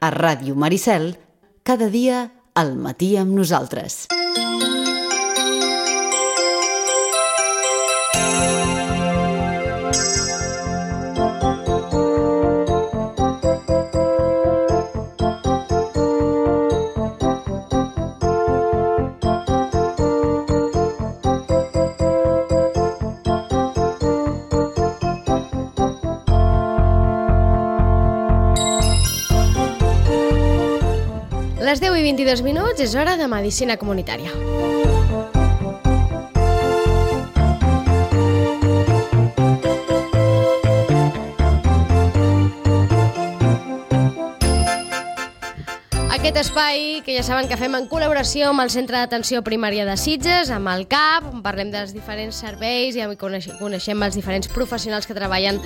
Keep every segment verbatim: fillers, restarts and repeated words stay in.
a Ràdio Maricel, cada dia al matí amb nosaltres. Les deu i vint-i-dos minuts és hora de Medicina Comunitària. Aquest espai que ja saben que fem en col·laboració amb el Centre d'Atenció Primària de Sitges, amb el C A P, on parlem dels diferents serveis i coneixem els diferents professionals que treballen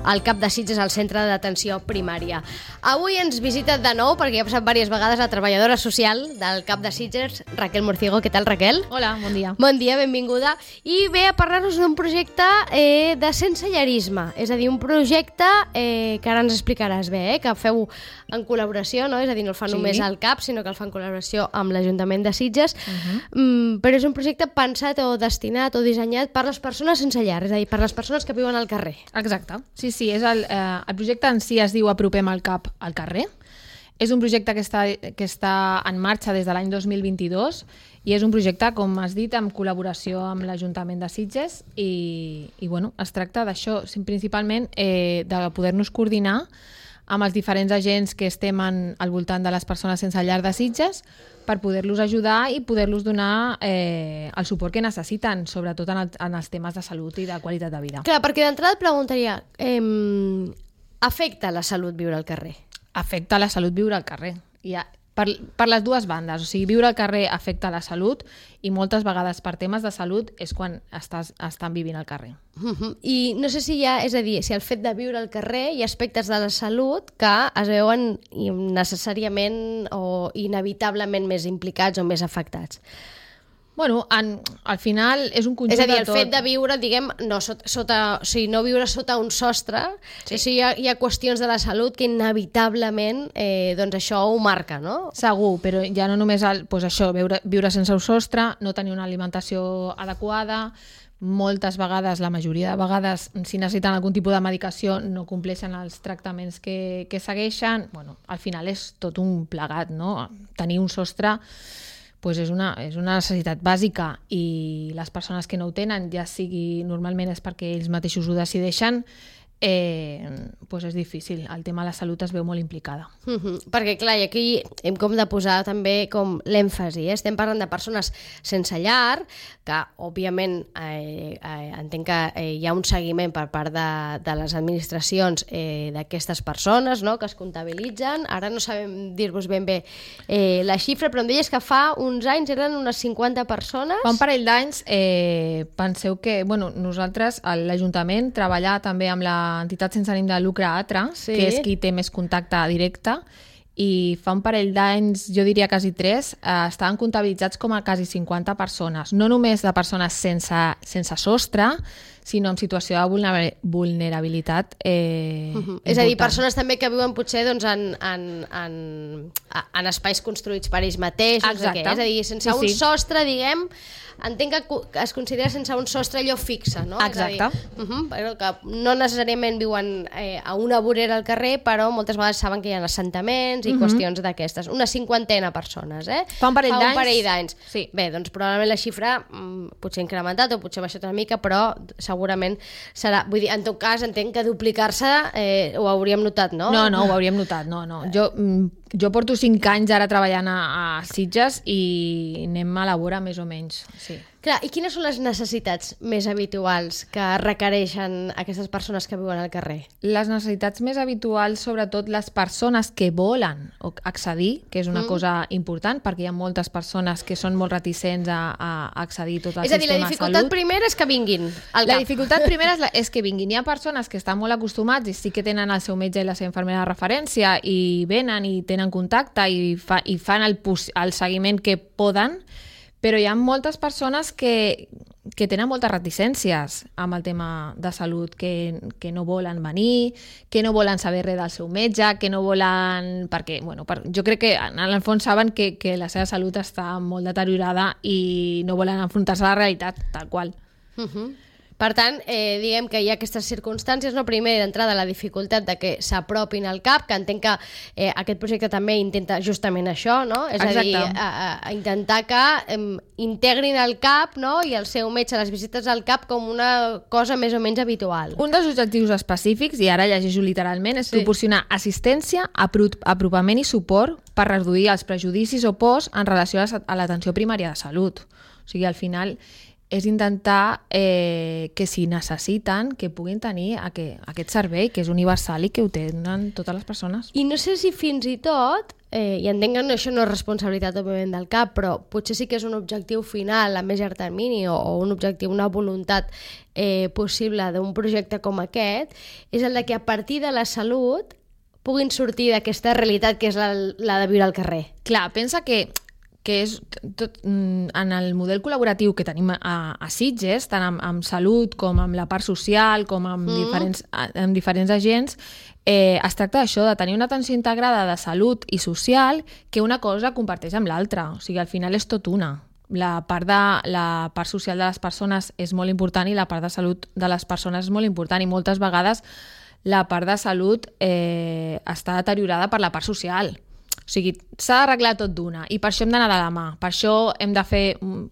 al C A P de Sitges, al Centre d'Atenció Primària. Avui ens visita de nou, perquè ja ha passat diverses vegades, la treballadora social del C A P de Sitges, Raquel Morciego. Què tal, Raquel? Hola, bon dia. Bon dia, benvinguda. I ve a parlar-nos d'un projecte eh, de sensellarisme, és a dir, un projecte eh, que ara ens explicaràs bé, eh, que feu en col·laboració, no? És a dir, no el fa Sí. només al C A P, sinó que el fa en col·laboració amb l'Ajuntament de Sitges, Uh-huh. mm, però és un projecte pensat o destinat o dissenyat per les persones sense llar, és a dir, per les persones que viuen al carrer. Exacte. Sí, sí, és el, eh, el projecte en si es diu Apropem el C A P al carrer. És un projecte que està, que està en marxa des de l'any dos mil vint-i-dos i és un projecte, com has dit, en col·laboració amb l'Ajuntament de Sitges i, i bueno, es tracta d'això, principalment eh, de poder-nos coordinar amb els diferents agents que estem en, al voltant de les persones sense llar de Sitges per poder-los ajudar i poder-los donar eh, el suport que necessiten, sobretot en, el, en els temes de salut i de qualitat de vida. Clar, perquè d'entrada et preguntaria, eh, afecta la salut viure al carrer? Afecta la salut viure al carrer. I ha, per, per les dues bandes, o sigui, viure al carrer afecta la salut i moltes vegades per temes de salut és quan estàs, estan vivint al carrer. Uh-huh. I no sé si hi ha, és a dir, si el fet de viure al carrer hi ha aspectes de la salut que es veuen necessàriament o inevitablement més implicats o més afectats. Bueno, en, al final és un conjunt És a dir, de el tot. fet de viure, diguem, no, sota, sota, o sigui, no viure sota un sostre, sí. O sigui, hi, ha, hi ha qüestions de la salut que inevitablement eh, doncs això ho marca, no? Segur, però ja no només el, doncs això, viure, viure sense un sostre, no tenir una alimentació adequada, moltes vegades, la majoria de vegades, si necessiten algun tipus de medicació no compleixen els tractaments que, que segueixen. Bueno, al final és tot un plegat, no? Tenir un sostre pues és, una, és una necessitat bàsica i les persones que no ho tenen, ja sigui normalment és perquè ells mateixos ho decideixen, eh, pues és difícil. El tema de la salut es veu molt implicada. Uh-huh. Perquè clar, i aquí hem com de posar també com l'èmfasi, eh? Estem parlant de persones sense llar, que òbviament eh, eh, entenc que eh, hi ha un seguiment per part de, de les administracions eh, d'aquestes persones, no?, que es comptabilitzen. Ara no sabem dir-vos ben bé eh, la xifra, però em deies que fa uns anys eren unes cinquanta persones. Fa un parell d'anys, eh, penseu que bueno, nosaltres, l'Ajuntament, treballar també amb l'entitat sense ànim de lucre ATRA, Sí. que és qui té més contacte directe, i fa un parell d'anys, jo diria quasi tres, eh, estaven comptabilitzats com a quasi cinquanta persones, no només de persones sense, sense sostre, sinó en situació de vulnerabilitat eh, Uh-huh. És a dir, persones també que viuen potser doncs, en, en, en, en espais construïts per ells mateixos. Exacte. És a dir, sense Sí, un sí. sostre, diguem, entenc que es considera sense un sostre allò fixe, no? Exacte. És a dir, uh-huh, però que no necessàriament viuen eh, a una vorera al carrer, però moltes vegades saben que hi ha assentaments i uh-huh. qüestions d'aquestes. Una cinquanta persones, eh? Fa un parell Fa d'anys. un parell d'anys. Sí. Bé, doncs probablement la xifra mm, potser ha incrementat o potser ha baixat una mica, però segurament serà... Vull dir, en tot cas, entenc que duplicar-se eh, ho hauríem notat, no? No, no, ho hauríem notat, no, no. Jo, mm, jo porto cinc anys ara treballant a, a Sitges i anem a la vora més o menys, sí. Clar, i quines són les necessitats més habituals que requereixen aquestes persones que viuen al carrer? Les necessitats més habituals, sobretot les persones que volen accedir, que és una mm. cosa important, perquè hi ha moltes persones que són molt reticents a, a accedir tot el és a dir, sistema de salut. la dificultat primera és que vinguin al La cap. dificultat primera és, la, és que vinguin. Hi ha persones que estan molt acostumats i sí que tenen el seu metge i la seva infermera de referència i venen i tenen contacte i, fa, i fan el, el seguiment que poden, però hi ha moltes persones que, que tenen moltes reticències amb el tema de salut, que, que no volen venir, que no volen saber res del seu metge, que no volen... Perquè, bueno, per, jo crec que en el fons saben que, que la seva salut està molt deteriorada i no volen enfrontar-se a la realitat, tal qual. Uh-huh. Per tant, eh, diguem que hi ha aquestes circumstàncies, no? Primer, d'entrada, la dificultat de que s'apropin al C A P, que entenc que eh, aquest projecte també intenta justament això, no? És Exacte. a dir, a, a intentar que eh, integrin el C A P, no? I el seu metge, les visites al C A P, com una cosa més o menys habitual. Un dels objectius específics, i ara llegeixo literalment, és Sí. proporcionar assistència, apro apropament i suport per reduir els prejudicis o pors en relació a a l'atenció primària de salut. O sigui, al final és intentar eh, que si necessiten que puguin tenir aquest, aquest servei, que és universal i que ho tenen totes les persones. I no sé si fins i tot, eh, i entenc que això no és responsabilitat òbviament del C A P, però potser sí que és un objectiu final a més llarg termini o, o un objectiu, una voluntat eh, possible d'un projecte com aquest, és el de que a partir de la salut puguin sortir d'aquesta realitat que és la, la de viure al carrer. Clar, pensa que que és tot, en el model col·laboratiu que tenim a, a Sitges, tant amb, amb salut com amb la part social, com amb, mm. diferents, amb diferents agents, eh, es tracta d'això, de tenir una atenció integrada de salut i social que una cosa comparteix amb l'altra. O sigui, al final és tot una. La part, de, la part social de les persones és molt important i la part de salut de les persones és molt important, i moltes vegades la part de salut eh, està deteriorada per la part social. O sigui, s'ha d'arreglar tot d'una, i per això hem d'anar de la mà. Per això hem de fer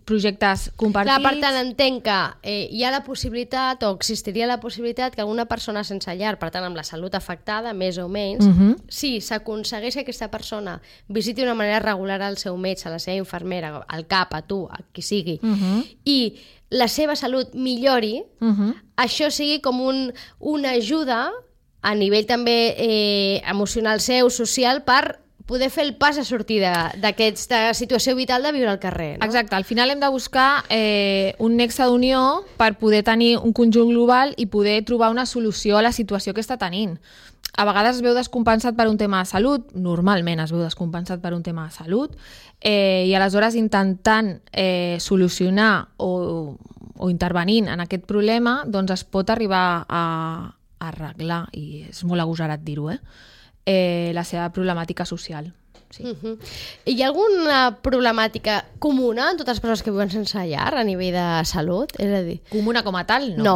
projectes compartits. Clar, per tant, entenc que eh, hi ha la possibilitat, o existiria la possibilitat, que alguna persona sense llar, per tant, amb la salut afectada, més o menys, Uh-huh. si s'aconsegueix que aquesta persona visiti d'una manera regular al seu metge, a la seva infermera, al C A P, a tu, a qui sigui, Uh-huh. i la seva salut millori, Uh-huh. això sigui com un, una ajuda a nivell també eh, emocional seu, social, per poder fer el pas a sortir d'aquesta situació vital de viure al carrer. No? Exacte, al final hem de buscar eh, un nexe d'unió per poder tenir un conjunt global i poder trobar una solució a la situació que està tenint. A vegades es veu descompensat per un tema de salut, normalment es veu descompensat per un tema de salut, eh, i aleshores intentant eh, solucionar o, o intervenint en aquest problema, doncs es pot arribar a, a arreglar, i és molt agosarat dir-ho, eh? Eh, la seva problemàtica social. Sí. Uh-huh. Hi ha alguna problemàtica comuna en totes les persones que viuen sense llar a nivell de salut? És a dir... Comuna com a tal, no. No.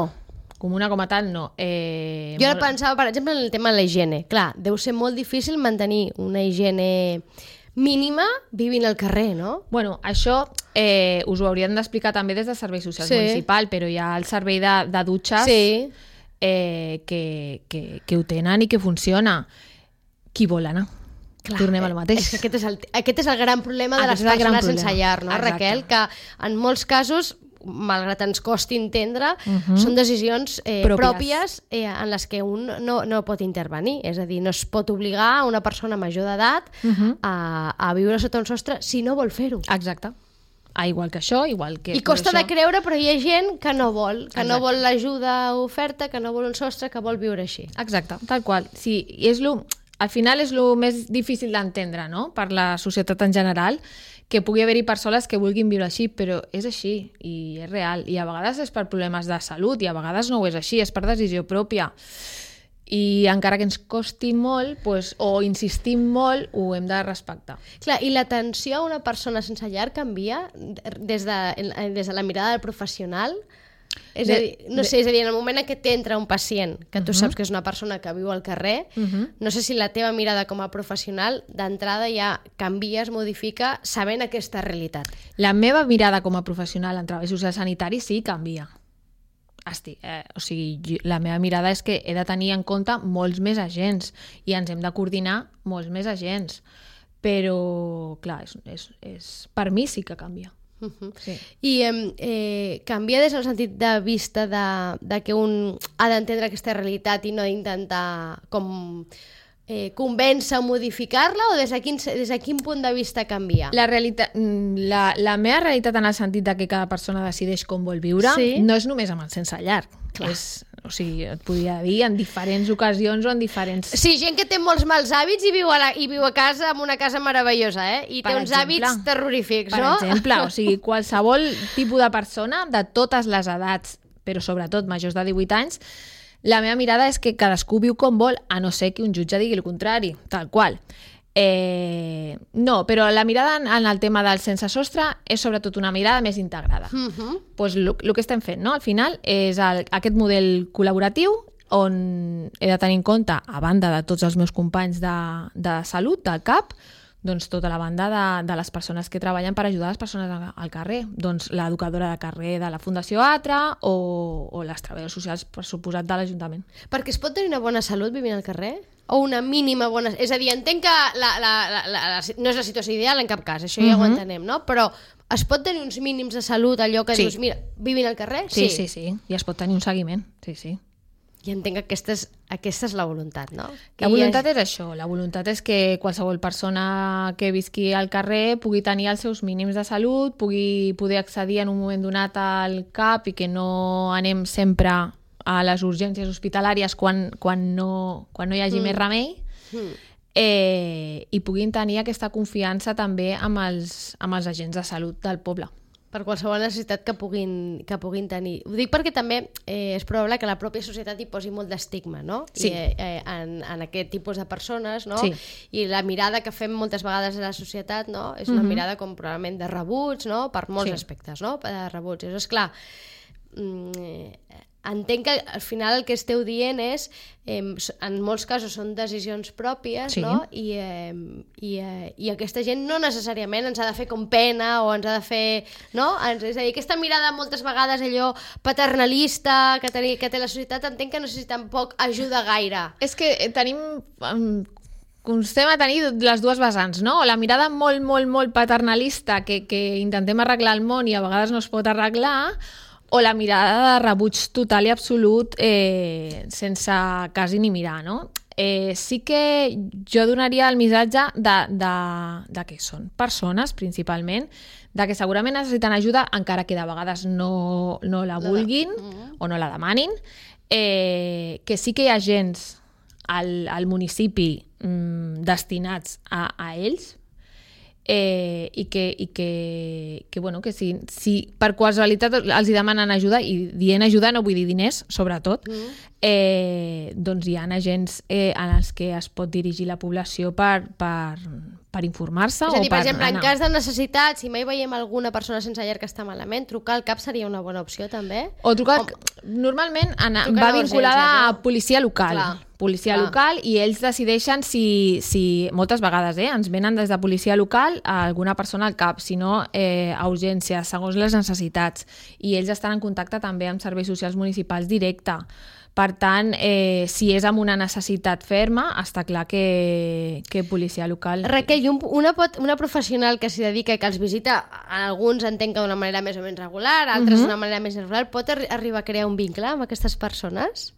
Comuna com a tal, no. Eh, jo ara molt... pensava, per exemple, en el tema de la higiene. Clar, deu ser molt difícil mantenir una higiene mínima vivint al carrer, no? Bueno, això eh, us ho haurien d'explicar també des de Servei Social Sí. Municipal, però hi ha el servei de, de dutxes Sí. eh, que, que, que ho tenen i que funciona. Qui vol anar? Clar, Tornem al mateix. És que aquest és el, aquest és el gran problema de Aquest les és el gran persones sense problema. llar, no, Exacte. Raquel? Que en molts casos, malgrat ens costi entendre, Mhm. són decisions eh, Pròpies. pròpies eh, en les que un no, no pot intervenir. És a dir, no es pot obligar a una persona major d'edat Mhm. a, a viure sota un sostre si no vol fer-ho. Exacte. Ah, igual que això, igual que... I costa per de creure, però hi ha gent que no vol, que no Exacte. vol l'ajuda oferta, que no vol un sostre, que vol viure així. Exacte, tal qual. Sí, i és lo, al final és el més difícil d'entendre, no?, per la societat en general, que pugui haver-hi persones que vulguin viure així, però és així, i és real. I a vegades és per problemes de salut, i a vegades no ho és així, és per decisió pròpia. I encara que ens costi molt, pues, o insistim molt, ho hem de respectar. Clar, i l'atenció a una persona sense llar canvia des de, des de la mirada del professional? És De- a dir, no sé, és a dir, en el moment en què t'entra un pacient, que tu saps que és una persona que viu al carrer, Uh-huh. no sé si la teva mirada com a professional d'entrada ja canvia, es modifica, sabent aquesta realitat. La meva mirada com a professional en treball social sanitari sí canvia. Esti, eh, o sigui, jo, la meva mirada és que he de tenir en compte molts més agents i ens hem de coordinar molts més agents. Però, clar, és, és, és, per mi sí que canvia. Uh-huh. Sí. I eh, eh, canvia des del sentit de vista de, de que un ha d'entendre aquesta realitat i no d'intentar com eh, convèncer o modificar-la, o des de, quin, des de quin punt de vista canvia? La, realitat, la, la meva realitat en el sentit de que cada persona decideix com vol viure Sí. no és només amb el sense llar. És, o sigui, et podria dir en diferents ocasions o en diferents... Sí, gent que té molts mals hàbits i viu a, la, i viu a casa amb una casa meravellosa, eh? I té Per uns exemple. hàbits terrorífics, Per no? exemple, o sigui, qualsevol tipus de persona de totes les edats, però sobretot majors de divuit anys, la meva mirada és que cadascú viu com vol, a no ser que un jutge digui el contrari, tal qual. Eh, no, però la mirada en, en el tema del sense sostre és sobretot una mirada més integrada. Uh -huh. Pues el que estem fent, no? Al final és el, aquest model col·laboratiu on he de tenir en compte, a banda de tots els meus companys de, de salut, del C A P, doncs tota la banda de, de les persones que treballen per ajudar les persones al, al carrer. Doncs l'educadora de carrer de la Fundació Atra o, o les treballadores socials, per suposat, de l'Ajuntament. Perquè es pot tenir una bona salut vivint al carrer? O una mínima bona... És a dir, entenc que la, la, la, la, la, no és la situació ideal en cap cas, això ja uh -huh. ho entenem, no? Però es pot tenir uns mínims de salut, allò que sí. dius, mira, vivint al carrer? Sí, sí, sí, sí. I es pot tenir un seguiment, sí, sí. I entenc que aquesta és, aquesta és la voluntat, no? Que la voluntat ha... és això, la voluntat és que qualsevol persona que visqui al carrer pugui tenir els seus mínims de salut, pugui poder accedir en un moment donat al C A P i que no anem sempre a les urgències hospitalàries quan, quan, no, quan no hi hagi mm. més remei, mm. eh, i puguin tenir aquesta confiança també amb els, amb els agents de salut del poble. Per qualsevol necessitat que puguin, que puguin tenir. Ho dic perquè també eh, és probable que la pròpia societat hi posi molt d'estigma, no? Sí. I, eh, en, en aquest tipus de persones, no? Sí. I la mirada que fem moltes vegades a la societat, no? És una mm-hmm. mirada com probablement de rebuig, no? Per molts sí. aspectes, no? De rebuig. És clar, mm, entenc que al final el que esteu dient és, eh, en molts casos són decisions pròpies, sí. no? I, eh, i, eh, i aquesta gent no necessàriament ens ha de fer com pena o ens ha de fer, no? És a dir, aquesta mirada moltes vegades allò paternalista que, ten, que té la societat, entenc que no sé si tampoc ajuda gaire. És que tenim... Um... constem a tenir les dues vessants, no? La mirada molt, molt, molt paternalista que, que intentem arreglar el món i a vegades no es pot arreglar, o la mirada de rebuig total i absolut eh, sense quasi ni mirar, no? Eh, sí que jo donaria el missatge de, de, de que són persones, principalment, de que segurament necessiten ajuda, encara que de vegades no, no la vulguin no. o no la demanin, eh, que sí que hi ha agents al, al municipi mm, destinats a, a ells, Eh, i que, i que, que, bueno, que si, si per qualsevolitat els hi demanen ajuda, i dient ajuda no vull dir diners, sobretot, mm. eh, doncs hi ha agents eh, en els que es pot dirigir la població per, per, per informar-se. És a dir, o per per exemple, anar. en cas de necessitat, si mai veiem alguna persona sense llar que està malament, trucar al C A P seria una bona opció, també? O trucar... O... Normalment ana, trucar va vinculada no? a policia local. Clar. policia Clar. local, i ells decideixen si, si moltes vegades eh, ens venen des de policia local a alguna persona al C A P, si no eh, a urgències, segons les necessitats, i ells estan en contacte també amb serveis socials municipals directe. Per tant, eh, si és amb una necessitat ferma, està clar que, que policia local... Raquel, i un, una, pot, una professional que s'hi dedica i que els visita, alguns entenc que d'una manera més o menys regular, altres uh-huh. d'una manera més irregular, pot arri- arribar a crear un vincle amb aquestes persones?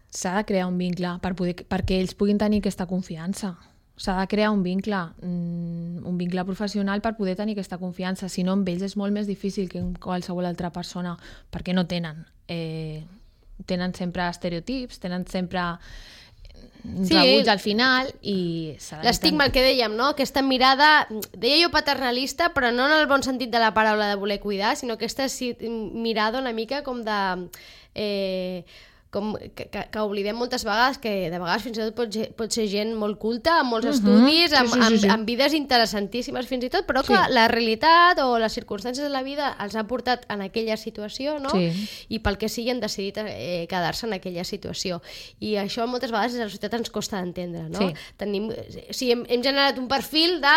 S'ha de crear un vincle per poder, perquè ells puguin tenir aquesta confiança. S'ha de crear un vincle, un vincle professional per poder tenir aquesta confiança. Si no, amb ells és molt més difícil que amb qualsevol altra persona, perquè no tenen. Eh, tenen sempre estereotips, tenen sempre sí. rebuig al final i... L'estigma, el que dèiem, no? Aquesta mirada, deia jo paternalista, però no en el bon sentit de la paraula de voler cuidar, sinó aquesta mirada una mica com de... Eh, com que, que, que oblidem moltes vegades, que de vegades fins i tot pot, pot ser gent molt culta, amb molts uh-huh. estudis, amb, sí, sí, sí, sí. Amb, amb vides interessantíssimes fins i tot, però que sí. la realitat o les circumstàncies de la vida els ha portat en aquella situació, no? Sí. I pel que sigui han decidit eh, quedar-se en aquella situació. I això moltes vegades a la societat ens costa d'entendre, no? Sí. Tenim, sí, hem, hem generat un perfil de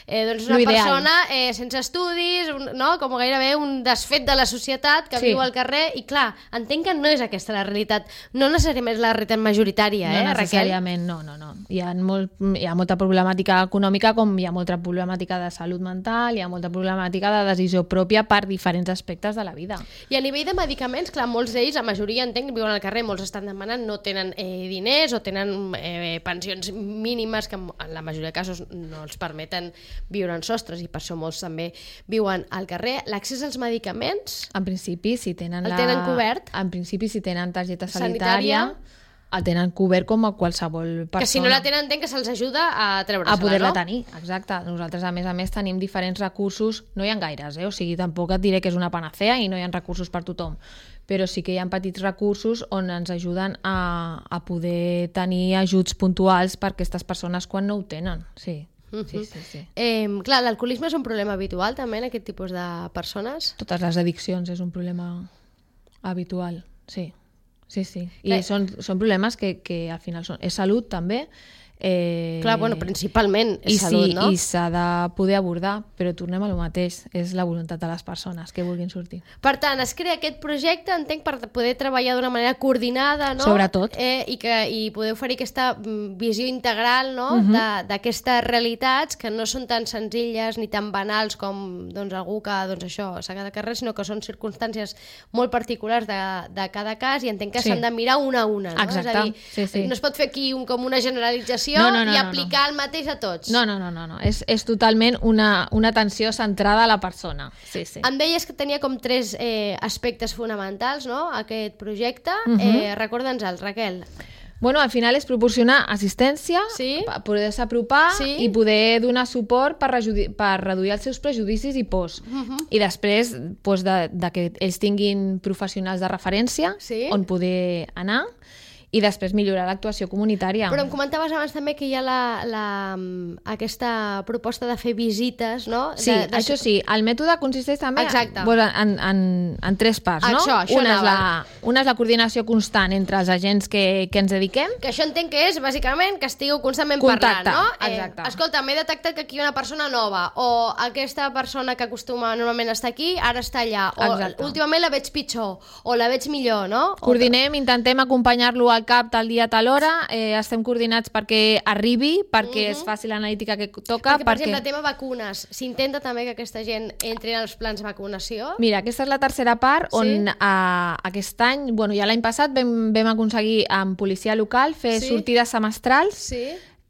eh, doncs una persona eh, sense estudis, un, no? Com gairebé un desfet de la societat que sí. viu al carrer, i clar, entenc que no és aquesta la realitat. No necessàriament és la realitat majoritària, eh, no, Raquel? necessàriament, no, no, no. Hi ha, molt, hi ha molta problemàtica econòmica, com hi ha molta problemàtica de salut mental, hi ha molta problemàtica de decisió pròpia per diferents aspectes de la vida. I a nivell de medicaments, clar, molts d'ells, la majoria entenc, viuen al carrer, molts estan demanant, no tenen eh, diners o tenen eh, pensions mínimes que en la majoria de casos no els permeten viure en sostres, i per això molts també viuen al carrer. L'accés als medicaments... En principi, si tenen el la... tenen cobert? En principi, si tenen targeta targeta sanitària, el tenen cobert com a qualsevol persona. Que si no la tenen, entenc que se'ls ajuda a treure-se-la, a poder-la no? tenir, exacte. Nosaltres, a més a més, tenim diferents recursos, no hi ha gaires, eh? O sigui, tampoc et diré que és una panacea i no hi ha recursos per tothom, però sí que hi ha petits recursos on ens ajuden a, a poder tenir ajuts puntuals per aquestes persones quan no ho tenen, sí. Uh-huh. Sí, sí, sí. Eh, clar, l'alcoholisme és un problema habitual també en aquest tipus de persones? Totes les addiccions és un problema habitual, sí. Sí, sí. I Clar. són, són problemes que, que al final són... És salut, també. Eh... Clar, bueno, principalment és I salut, sí, no? I s'ha de poder abordar, però tornem a lo mateix. És la voluntat de les persones que vulguin sortir. Per tant, es crea aquest projecte, entenc, per poder treballar d'una manera coordinada, no? Sobretot. Eh, i, que, I poder oferir aquesta mm, visió integral, no? Mhm. de- d'aquestes realitats que no són tan senzilles ni tan banals com doncs, algú que doncs, això s'ha quedat carrer, sinó que són circumstàncies molt particulars de, de cada cas i entenc que Sí. s'han de mirar una a una. No? Exacte. És a dir, Sí, sí. no es pot fer aquí un, com una generalització No, no, no, i no, aplicar el mateix a tots. No, no, no, no. no. És, és totalment una, una atenció centrada a la persona. Sí, sí. Em deies que tenia com tres eh, aspectes fonamentals, no?, aquest projecte. Mhm. eh, Recorda'ns-el, Raquel. Bueno, al final és proporcionar assistència, Sí. per poder-se apropar Sí. i poder donar suport per, rejudi- per reduir els seus prejudicis i pors. Mhm. I després doncs, de, de que ells tinguin professionals de referència Sí. on poder anar i després millorar l'actuació comunitària. Però em comentaves abans també que hi ha la, la, mm, aquesta proposta de fer visites, no? Sí, de, de... això sí. El mètode consisteix també Exacte. doncs, en, en, en tres parts, no? Això, això una, és la, anava. una és la coordinació constant entre els agents que, que ens dediquem. Que això entenc que és, bàsicament, que estigueu constantment Contacte, parlant, no? exacte. Eh, escolta, m'he detectat que aquí hi ha una persona nova, o aquesta persona que acostuma normalment a estar aquí, ara està allà, o Exacte. últimament la veig pitjor, o la veig millor, no? O- Coordinem, intentem acompanyar-lo al cap tal dia, tal hora, eh, estem coordinats perquè arribi, perquè es faci l'analítica que toca. Perquè, per exemple, tema vacunes, s'intenta també que aquesta gent entri en els plans de vacunació? Mira, aquesta és la tercera part on Sí. eh, aquest any, bueno, ja l'any passat vam, vam aconseguir amb policia local fer Sí. sortides semestrals Sí.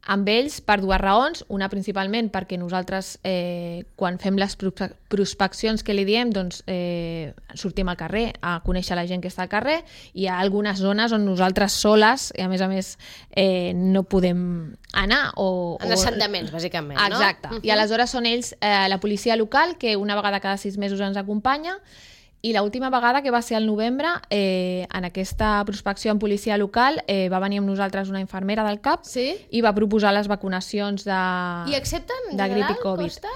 amb ells per dues raons. Una principalment perquè nosaltres eh, quan fem les prospe- prospeccions que li diem doncs eh, sortim al carrer a conèixer la gent que està al carrer i hi ha algunes zones on nosaltres soles i a més a més eh, no podem anar o, En o... assentaments, bàsicament, no? Exacte. I aleshores són ells, eh, la policia local, que una vegada cada sis mesos ens acompanya. I l'última vegada, que va ser al novembre, eh, en aquesta prospecció en policia local, eh, va venir amb nosaltres una infermera del CAP Sí? i va proposar les vacunacions de, I accepten, en de grip general? i Covid. Costa?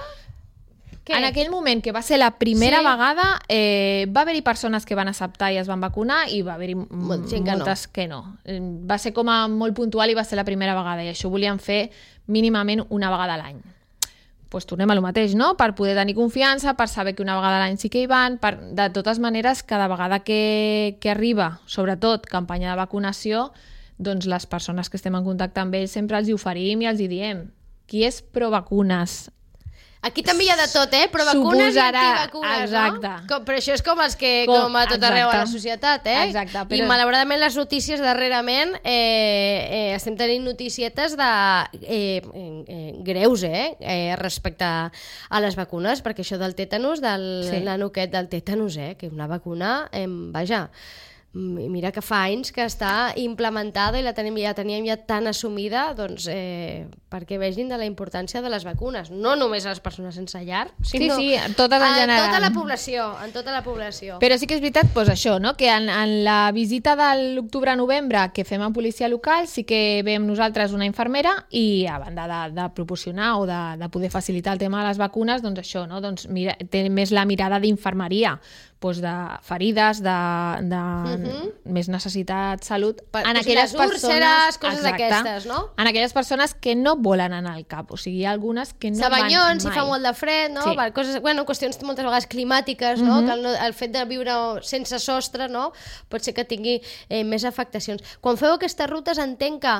Què? En aquell moment, que va ser la primera Sí. vegada, eh, va haver-hi persones que van acceptar i es van vacunar i va haver-hi Molt- gent que no. moltes que no. Eh, Va ser com a molt puntual i va ser la primera vegada i això ho volíem fer mínimament una vegada a l'any. Pues tornem a lo mateix, no? Per poder tenir confiança, per saber que una vegada a l'any sí que hi van, per... de totes maneres, cada vegada que, que arriba, sobretot campanya de vacunació, doncs les persones que estem en contacte amb ells sempre els hi oferim i els hi diem qui és pro vacunes. Aquí també hi ha de tot, eh? Però vacunes Suposarà, i antivacunes, exacte. no? Com, però això és com els que, Com- com a tot arreu a la exacte. societat, eh? Exacte, I però- malauradament les notícies darrerament eh, eh, estem tenint noticietes de eh, eh, greus, eh? eh? Respecte a les vacunes, perquè això del tètanus, del Sí. nano aquest del tètanus, eh? Que una vacuna, eh, vaja, mm, mira que fa anys que està implementada i la tenim, ja teníem ja tan assumida, doncs, eh, perquè vegin de la importància de les vacunes, no només a les persones sense llar, sinó sí, totes en a general. tota la població, en tota la població. Però sí que és veritat doncs això, no? Que en, en la visita de l'octubre-novembre que fem en policia local sí que veiem nosaltres una infermera i a banda de, de proporcionar o de, de poder facilitar el tema de les vacunes, doncs això, no? Doncs mira, té més la mirada d'infermeria, doncs de ferides, de, de uh-huh. més necessitat, salut, Per- en doncs aquelles les úlceres, persones... coses Exacte, d'aquestes, no? En aquelles persones que no volen anar al cap, o sigui, hi ha algunes que no Sabanyons, van si mai. fa molt de fred, no? Sí. Per coses, bueno, qüestions moltes vegades climàtiques, no? Mhm. Que el, el fet de viure sense sostre, no? Pot ser que tingui eh, més afectacions. Quan feu aquestes rutes entenc que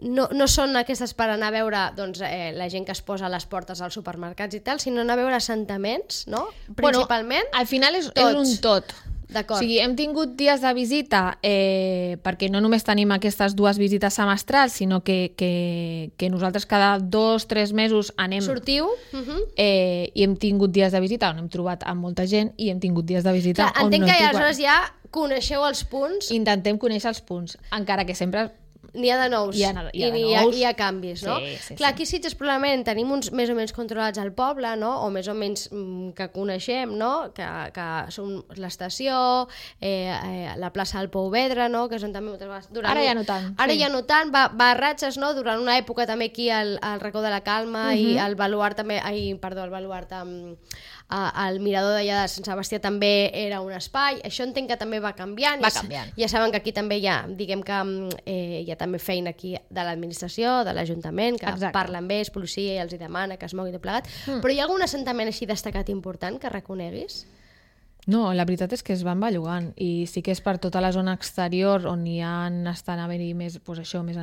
no, no són aquestes per anar a veure doncs, eh, la gent que es posa a les portes als supermercats i tal, sinó anar a veure assentaments, no? Principalment. Bueno, al final és, és tots. un tot. D'acord. O sigui, hem tingut dies de visita eh, perquè no només tenim aquestes dues visites semestrals, sinó que, que, que nosaltres cada dos, tres mesos anem... Sortiu? Uh-huh. Eh, i hem tingut dies de visita on hem trobat amb molta gent i hem tingut dies de visita Clar, on entenc no que hem trobat. aleshores ja coneixeu els punts. Intentem conèixer els punts, encara que sempre... N'hi ha de nous hi ha, hi ha i de hi ha, nous. hi ha canvis, no? Sí, sí, Clar, sí. aquí a Sitges probablement tenim uns més o menys controlats al poble, no? O més o menys mm, que coneixem, no? Que, que són l'estació, eh, eh, la plaça del Pou Vedre, no? Que són també moltes vegades... Durant... Ara ja no tant. Ara sí. ja no tant, va, va a ratxes, no? Durant una època també aquí al, al racó de la Calma uh -huh. i al baluart també... Ai, perdó, el baluart amb... el mirador d'allà de Sant Sebastià també era un espai, això entenc que també va canviant, Va ja, canviant. ja saben que aquí també hi ha, diguem que eh, hi ha també feina aquí de l'administració, de l'Ajuntament, que Exacte. parlen amb ells, policia, i els hi demana que es moguin tot plegat, mm. però hi ha algun assentament així destacat important que reconeguis? No, la veritat és que es van bellugant i sí que és per tota la zona exterior on hi han estan haver-hi més, doncs això, més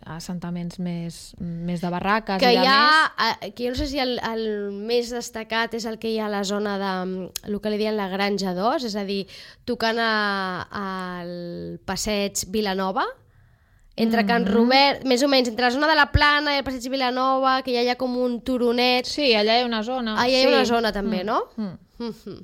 assentaments més, més de barraques que i de hi ha, més. que jo no sé si el, el més destacat és el que hi ha a la zona de el que li diuen la Granja dos, és a dir, tocant a, al passeig Vilanova, entre Can Robert, més o menys, entre la zona de la Plana i el passeig Vilanova, que ja hi ha com un turonet. Sí, allà hi ha una zona. Allà hi ha sí. una zona també, Mm. no? Mm. Mm-hmm.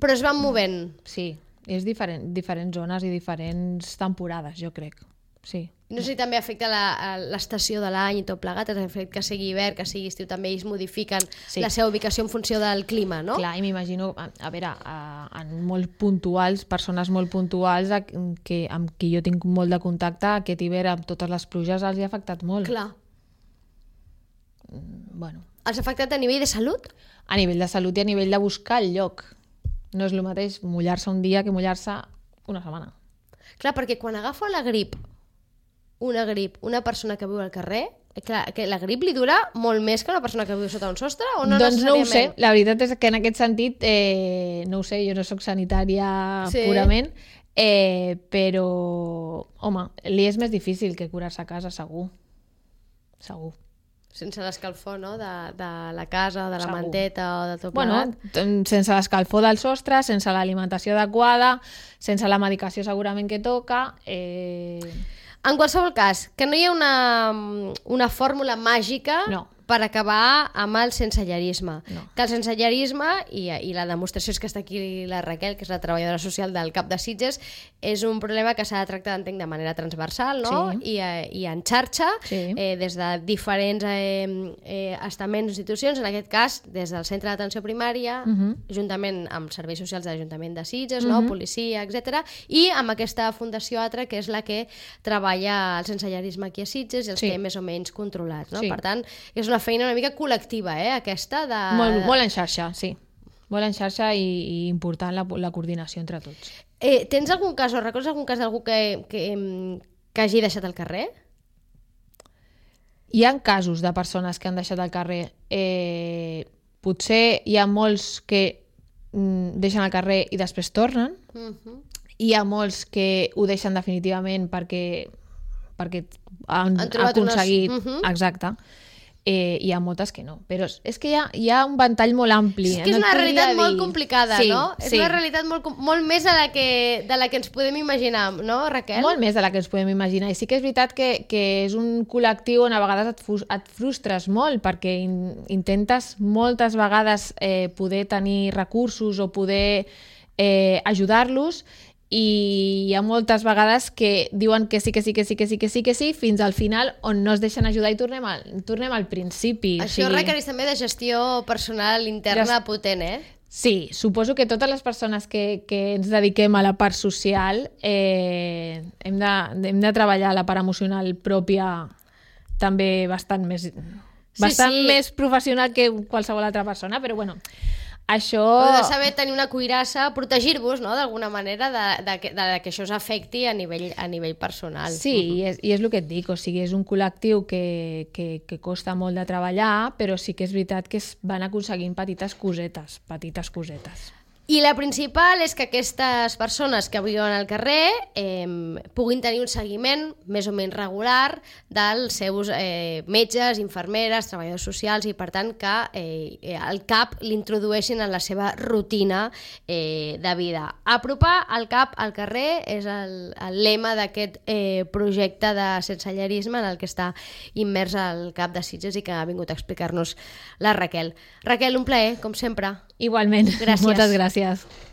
Però es van movent. Sí, és diferent, diferents zones i diferents temporades, jo crec. Sí. No sé si també afecta la- l'estació de l'any i tot plegat, el fet que sigui hivern, que sigui estiu, també ells modifiquen Sí. la seva ubicació en funció del clima, no? Clar, i m'imagino, a, a veure, a, en molt puntuals, persones molt puntuals a, que, amb qui jo tinc molt de contacte, aquest hivern amb totes les pluges els hi ha afectat molt. Clar. Bueno, Els ha afectat a nivell de salut? a nivell de salut i a nivell de buscar el lloc. No és el mateix mullar-se un dia que mullar-se una setmana. Clar, perquè quan agafa la grip, una grip, una persona que viu al carrer, clar, que la grip li dura molt més que una persona que viu sota un sostre o no doncs no ho sé, necessàriament? la veritat és que en aquest sentit, eh, no ho sé, jo no sóc sanitària Sí. purament, eh, però, home, li és més difícil que curar-se a casa, segur. Segur. Sense l'escalfor, no?, de, de la casa, de la Segur. manteta o de tot Bueno, plegat. t- sense l'escalfor del sostre, sense l'alimentació adequada, sense la medicació segurament que toca... Eh... En qualsevol cas, que no hi ha una, una fórmula màgica No. per acabar amb el sensellarisme. No. Que el sensellarisme, i, i la demostració és que està aquí la Raquel, que és la treballadora social del CAP de Sitges, és un problema que s'ha de tractar, entenc, de manera transversal, no? Sí. I, eh, i en xarxa, Sí. eh, des de diferents eh, eh, estaments, institucions, en aquest cas, des del centre d'atenció primària, Mhm. juntament amb serveis socials de l'Ajuntament de Sitges, no? Policia, etcètera, i amb aquesta Fundació Atra, que és la que treballa el sensellarisme aquí a Sitges i els Sí. que té més o menys controlats. No? Sí. Per tant, és una feina una mica col·lectiva, eh, aquesta de... Molt, molt en xarxa, sí. Molt en xarxa i, i important la, la coordinació entre tots. Eh, tens algun cas o recordes algun cas d'algú que, que, em, que hagi deixat el carrer? Hi ha casos de persones que han deixat el carrer. Eh, potser hi ha molts que mm, deixen el carrer i després tornen. Uh -huh. Hi ha molts que ho deixen definitivament perquè, perquè han, Han trobat aconseguit... unes- Mhm. Exacte. Eh, hi ha moltes que no. Però és, és que hi ha, hi ha un ventall molt ampli. És que és No et una podria realitat dir. molt complicada, sí, no? És sí. una realitat molt, com- molt més de la, que, de la que ens podem imaginar, no, Raquel? Molt més de la que ens podem imaginar. I sí que és veritat que, que és un col·lectiu on a vegades et, fus, et frustres molt perquè in, intentes moltes vegades eh, poder tenir recursos o poder eh, ajudar-los i hi ha moltes vegades que diuen que sí, que sí, que sí, que sí, que sí, que sí, fins al final on no es deixen ajudar i tornem al, tornem al principi. Això o sigui, requereix també de gestió personal interna Gest- potent, eh? Sí, suposo que totes les persones que, que ens dediquem a la part social eh, hem, de, hem de treballar la part emocional pròpia també bastant més, bastant sí. més professional que qualsevol altra persona, però bueno, això... Heu de saber tenir una cuirassa, protegir-vos, no?, d'alguna manera de, de, que, de que això us afecti a nivell, a nivell personal. Sí, i és, i és el que et dic, o sigui, és un col·lectiu que, que, que costa molt de treballar, però sí que és veritat que es van aconseguint petites cosetes, petites cosetes. I la principal és que aquestes persones que viuen al carrer eh, puguin tenir un seguiment més o menys regular dels seus eh, metges, infermeres, treballadors socials i per tant que eh, el CAP l'introdueixin en la seva rutina eh, de vida. Apropar el CAP al carrer és el, el lema d'aquest eh, projecte de sensellarisme en el que està immers el CAP de Sitges i que ha vingut a explicar-nos la Raquel. Raquel, un plaer, com sempre. Igualment, Gràcies. moltes gràcies.